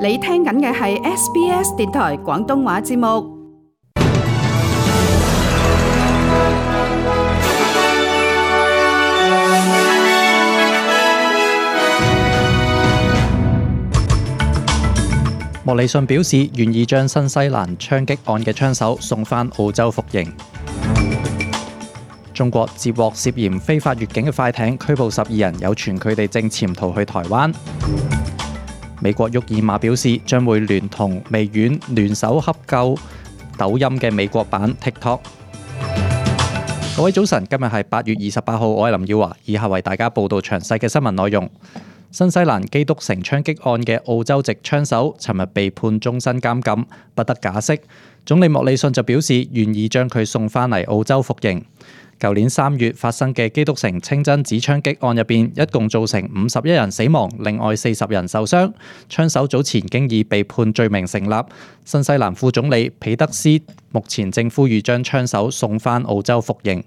你聽緊嘅係 SBS 電台廣東話節目。莫里遜表示願意將新西蘭槍擊案嘅槍手送返澳洲服刑。中國接獲涉嫌非法越境嘅快艇，拘捕12人，有傳佢哋正潛逃去台灣。美國沃爾瑪表示將會聯同微軟聯手洽購抖音嘅美國版 TikTok。各位早晨，今日係8月28號，我係林耀華，以下為大家報道詳細嘅新聞內容。新西蘭基督城槍擊案嘅澳洲籍槍手，尋日被判終身監禁，不得假釋。總理莫里遜就表示願意將佢送返嚟澳洲服刑。舊年3月發生嘅基督城清真寺槍擊案入邊，一共造成51人死亡，另外40人受傷。槍手早前經已被判罪名成立。新西蘭副總理彼德斯目前正呼籲將槍手送返澳洲服刑。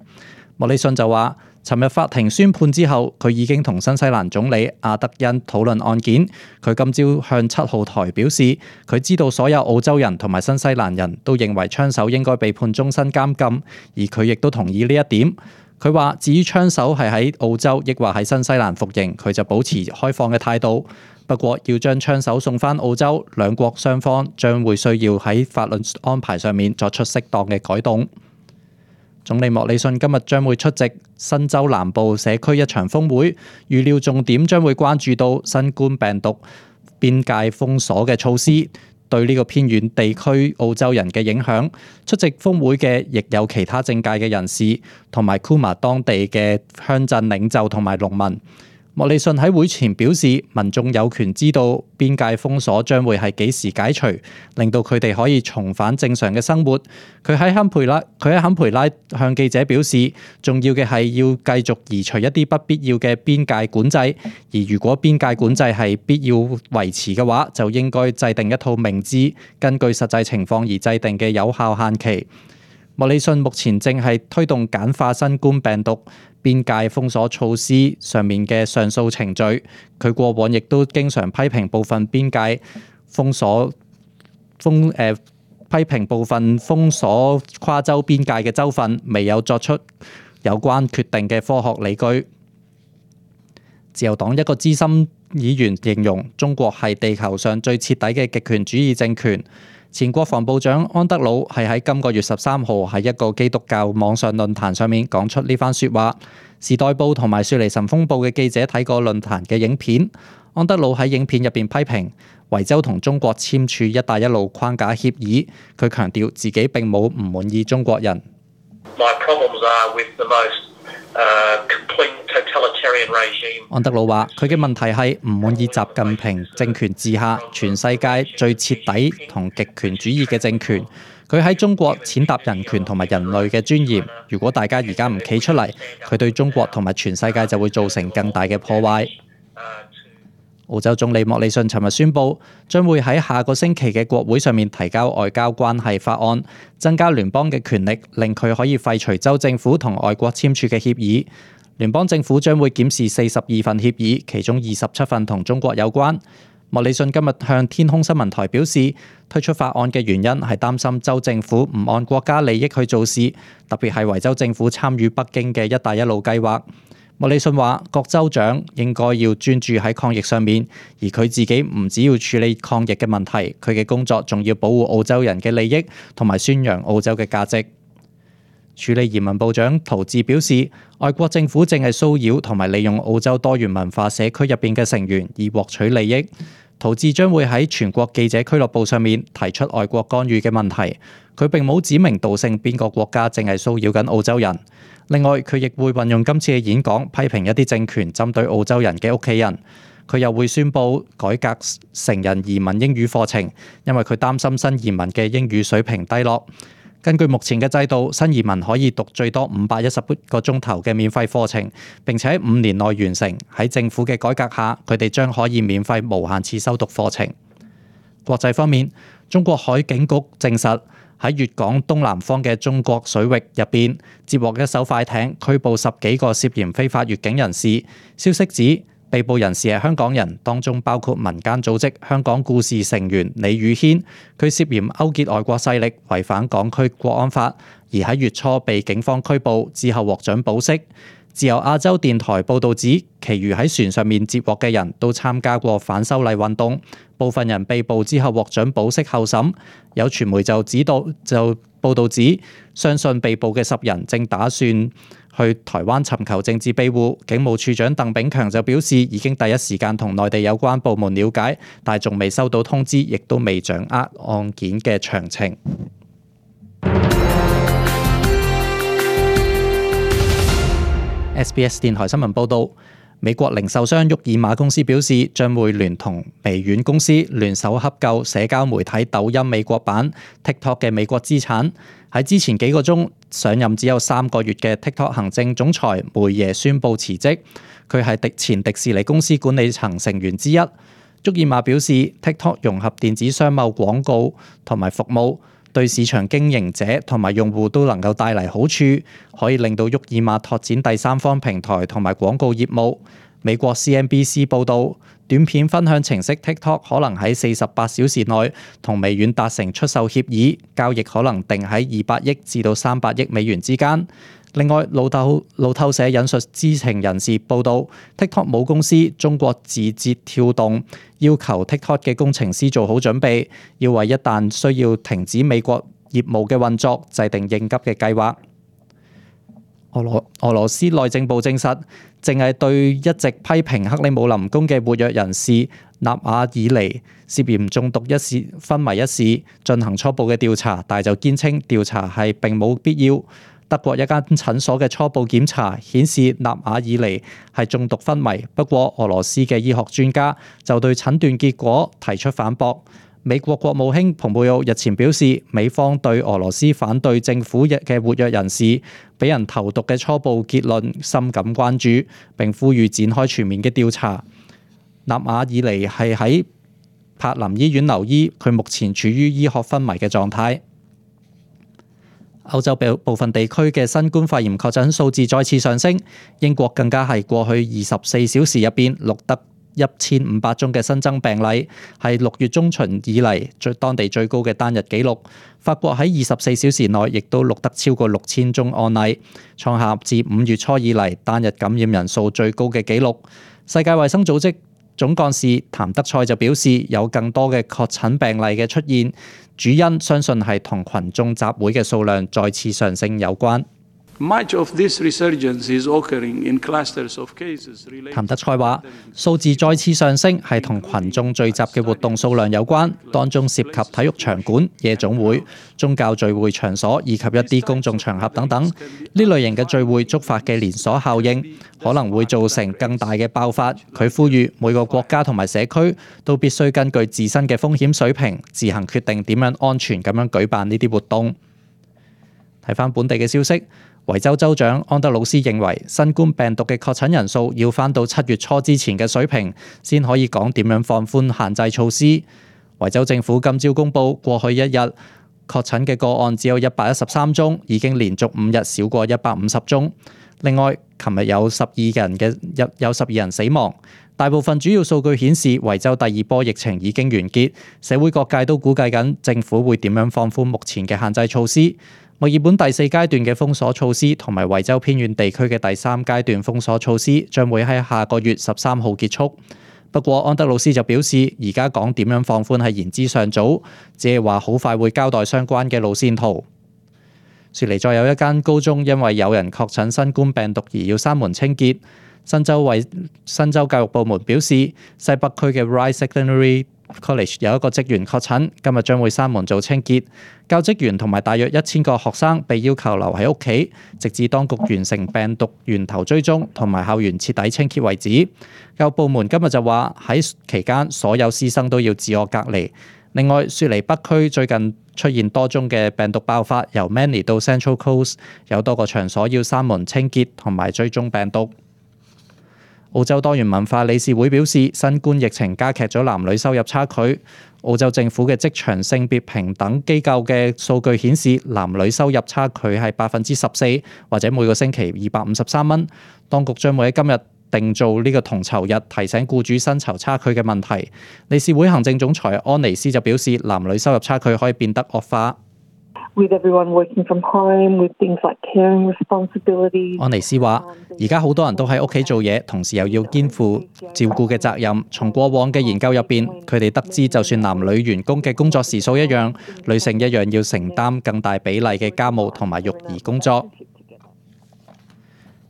莫里遜就話，尋日法庭宣判之後，佢已經同新西蘭總理阿德恩討論案件。佢今朝向7號台表示，佢知道所有澳洲人同埋新西蘭人都認為槍手應該被判終身監禁，而佢亦都同意呢一點。佢話，至於槍手係喺澳洲抑或喺新西蘭服刑，佢就保持開放嘅態度。不過要將槍手送返澳洲，兩國雙方將會需要喺法律安排上面作出適當嘅改動。總理莫里遜今日將會出席新州南部社區一場峰會，預料重點將會關注到新冠病毒邊界封鎖嘅措施對呢個偏遠地區澳洲人嘅影響。出席峰會嘅亦有其他政界嘅人士，同埋庫馬當地嘅鄉鎮領袖同埋農民。莫里遜喺會前表示，民眾有權知道邊界封鎖將會係幾時解除，令到佢哋可以重返正常嘅生活。佢喺坎培拉向記者表示，重要嘅係要繼續移除一啲不必要嘅邊界管制，而如果邊界管制係必要維持嘅話，就應該制定一套明智、根據實際情況而制定嘅有效限期。莫里遜目前正係推動簡化新冠病毒邊界封鎖措施上面嘅上訴程序。佢過往亦都經常批評部分邊界封鎖跨州邊界嘅州份未有作出有關決定嘅科學理據。自由黨一個資深議員形容中國係地球上最徹底嘅極權主義政權。前國防部長安德魯係喺今個月13號喺一個基督教網上論壇上面講出呢番説話。時代報同埋雪梨晨鋒報嘅記者睇過論壇嘅影片，安德魯喺影片入邊批評維州同中國簽署一帶一路框架協議。佢強調自己並冇唔滿意中國人。安德魯話：佢嘅問題係唔滿意習近平政權治下全世界最徹底同極權主義嘅政權。佢喺中國踐踏人權同埋人類嘅尊嚴。如果大家而家唔企出嚟，佢對中國同埋全世界就會造成更大嘅破壞。澳洲總理莫里遜尋日宣布，將會喺下個星期嘅國會上面提交外交關係法案，增加聯邦嘅權力，令佢可以廢除州政府同外國簽署嘅協議。聯邦政府將會檢視42份協議，其中27份同中國有關。莫里遜今日向天空新聞台表示，推出法案嘅原因係擔心州政府唔按國家利益去做事，特別係維州政府參與北京嘅一帶一路計劃。莫里遜話，各州長應該要專注喺抗疫上面，而佢自己唔只要處理抗疫嘅問題，佢嘅工作仲要保護澳洲人嘅利益同埋宣揚澳洲嘅價值。處理移民部長陶治表示，外國政府正係騷擾同埋利用澳洲多元文化社區入邊嘅成員以獲取利益。陶治將會喺全國記者俱樂部上面提出外國干預嘅問題。佢並冇指名道姓邊個國家正係騷擾緊澳洲人。另外，佢亦會運用今次嘅演講批評一啲政權針對澳洲人嘅屋企人。佢又會宣布改革成人移民英語課程，因為佢擔心新移民嘅英語水平低落。根據目前嘅制度，新移民可以讀最多510個鐘頭嘅免費課程，並且喺5年內完成。喺政府嘅改革下，佢哋將可以免費無限次修讀課程。國際方面，中國海警局證實喺粵港東南方嘅中國水域入邊接獲一艘快艇，拘捕10幾個涉嫌非法越境人士。消息指，被捕人士係香港人，當中包括民間組織香港故事成員李宇軒，佢涉嫌勾結外國勢力，違反港區國安法，而喺月初被警方拘捕，之後獲准保釋。自由亞洲電台報導指，其餘喺船上面接獲嘅人都參加過反修例運動，部分人被捕之後獲准保釋候審。有傳媒就報導指，相信被捕嘅10人正打算去台灣尋求政治庇護。警務處長鄧炳強就表示，已經第一時間同內地有關部門了解，但仲未收到通知，亦都未掌握案件嘅詳情。SBS 電台新聞報導，美國零售商沃爾瑪公司表示，將會聯同微軟公司聯手洽購社交媒體抖音美國版 TikTok 嘅美國資產。喺之前幾個鐘上任只有3個月嘅 TikTok 行政總裁梅耶宣布辭職，佢係前迪士尼公司管理層成員之一。沃爾瑪表示 ，TikTok 融合電子商貿廣告同埋服務，對市場經營者同埋用戶都能夠帶嚟好處，可以令到沃爾瑪拓展第三方平台同埋廣告業務。美國 CNBC 報導，短片分享程式 TikTok 可能喺48小時內同微軟達成出售協議，交易可能定喺200億至到300億美元之間。另外，路透社引述知情人士報導 ，TikTok 母公司中國字節跳動要求 TikTok 嘅工程師做好準備，要為一旦需要停止美國業務嘅運作，制定應急嘅計劃。俄羅斯內政部證實，正係對一直批評克里姆林宮嘅活躍人士納瓦爾尼涉嫌中毒昏迷一事進行初步嘅調查，但就堅稱調查係並冇必要。德國一間診所嘅初步檢查顯示納瓦爾尼係中毒昏迷，不過俄羅斯嘅醫學專家就對診斷結果提出反駁。美國國務卿蓬佩奧日前表示，美方對俄羅斯反對政府嘅活躍人士俾人投毒嘅初步結論深感關注，並呼籲展開全面嘅調查。納瓦爾尼係喺柏林醫院留醫，佢目前處於醫學昏迷嘅狀態。歐洲部分地區嘅新冠肺炎確診數字再次上升，英國更加係過去24小時入邊錄得1500宗嘅新增病例，係6月中旬以嚟當地最高嘅單日紀錄。法國喺24小時內亦都錄得超過6000宗案例，創下自5月初以嚟單日感染人數最高嘅紀錄。世界衛生組織總幹事譚德塞就表示，有更多嘅確診病例嘅出現，主因相信係同群眾集會嘅數量再次上升有關。譚德塞話：數字再次上升係同群眾聚集嘅活動數量有關，當中涉及體育場館、夜總會、宗教聚會場所以及一啲公眾場合等等。呢類型嘅聚會觸發嘅連鎖效應可能會造成更大嘅爆發。佢呼籲每個國家同埋社區都必須根據自身嘅風險水平，自行決定點樣安全咁樣舉辦呢啲活動。睇返本地嘅消息。維州州長安德魯斯認為，新冠病毒嘅確診人數要返到7月初之前嘅水平，先可以講點樣放寬限制措施。維州政府今朝公布，過去一日確診嘅個案只有113宗，已經連續5日少過150宗。另外，琴日有12人死亡。大部分主要數據顯示，維州第2波疫情已經完結。社會各界都估計緊政府會點樣放寬目前嘅限制措施。墨爾本第4階段嘅封鎖措施同埋維州偏遠地區嘅第3階段封鎖措施將會喺下個月13號結束。不過安德魯斯就表示，而家講點樣放寬係言之尚早，只係話好快會交代相關嘅路線圖。雪梨再有一間高中因為有人確診新冠病毒而要閂門清潔。新州教育部門表示，西北區嘅 Ryde Secondary College 有一個職員確診，今日將會閂門做清潔。教職員同埋大約1000個學生被要求留喺屋企，直至當局完成病毒源頭追蹤同埋校園徹底清潔為止。教育部門今日就話喺期間所有師生都要自我隔離。另外，雪梨北區最近出現多宗嘅病毒爆發，由 Manly 到 Central Coast 有多個場所要閂門清潔同埋追蹤病毒。澳洲多元文化理事會表示，新冠疫情加劇咗男女收入差距。澳洲政府嘅職場性別平等機構嘅數據顯示，男女收入差距係14%，或者每個星期253蚊。當局將會喺今日定做呢個同酬日，提醒僱主薪酬差距嘅問題。理事會行政總裁安妮斯就表示，男女收入差距可以變得惡化。With everyone working from home, with things like caring responsibilities. 安妮斯話：而家好多人都喺屋企做嘢，同時又要肩負照顧嘅責任。從過往嘅研究入邊，佢哋得知就算男女員工嘅工作時數一樣，女性一樣要承擔更大比例嘅家務同埋育兒工作。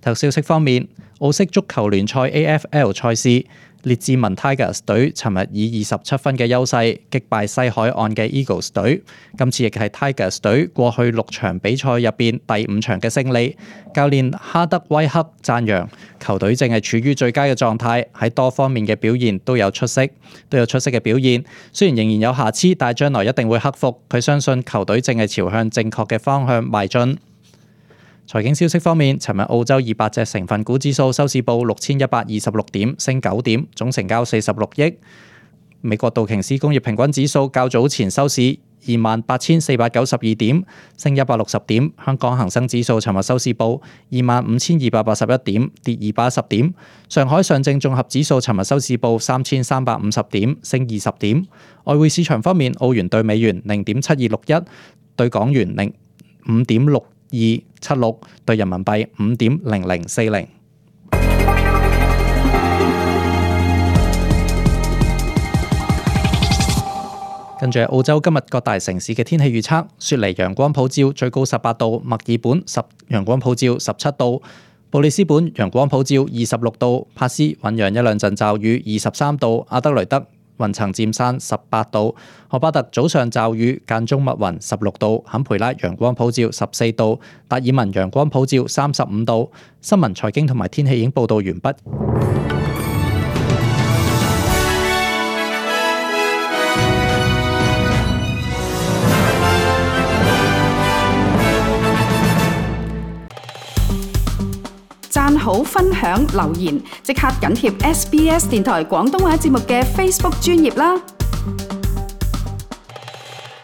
體育消息方面，澳式足球聯賽 AFL 賽事，列治文 Tigers 隊尋日以27分嘅優勢擊敗西海岸嘅 Eagles 隊，今次亦係 Tigers 隊過去6場比賽入邊第5場嘅勝利。教練哈德威克讚揚球隊正係處於最佳嘅狀態，喺多方面嘅表現都有出色嘅表現。雖然仍然有瑕疵，但係將來一定會克服。佢相信球隊正係朝向正確嘅方向邁進。財經消息方面，尋日澳洲200隻成分股指數收市報6126點，升9點，總成交46億。美國道瓊斯工業平均指數較早前收市28,492點，升160點。香港恒生指數尋日收市報25,281點，跌210點。上海上證綜合指數尋日收市報3,350點，升20點。外匯市場方面，澳元對美元0.7261，對港元5.6276，對人民幣5.0040。跟住澳洲今日各大城市嘅天氣預測：雪梨陽光普照，最高18度；墨爾本陽光普照17度；布里斯本陽光普照26度；帕斯醞釀一兩陣驟雨23度；阿德雷德雲層漸散18度；荷巴特早上驟雨間中密雲16度；坎培拉陽光普照14度；達爾文陽光普照35度。新聞、財經同埋天氣已經報道完畢。讚好、分享、留言，即刻緊貼SBS 電台廣東話節目嘅 Facebook 專頁啦！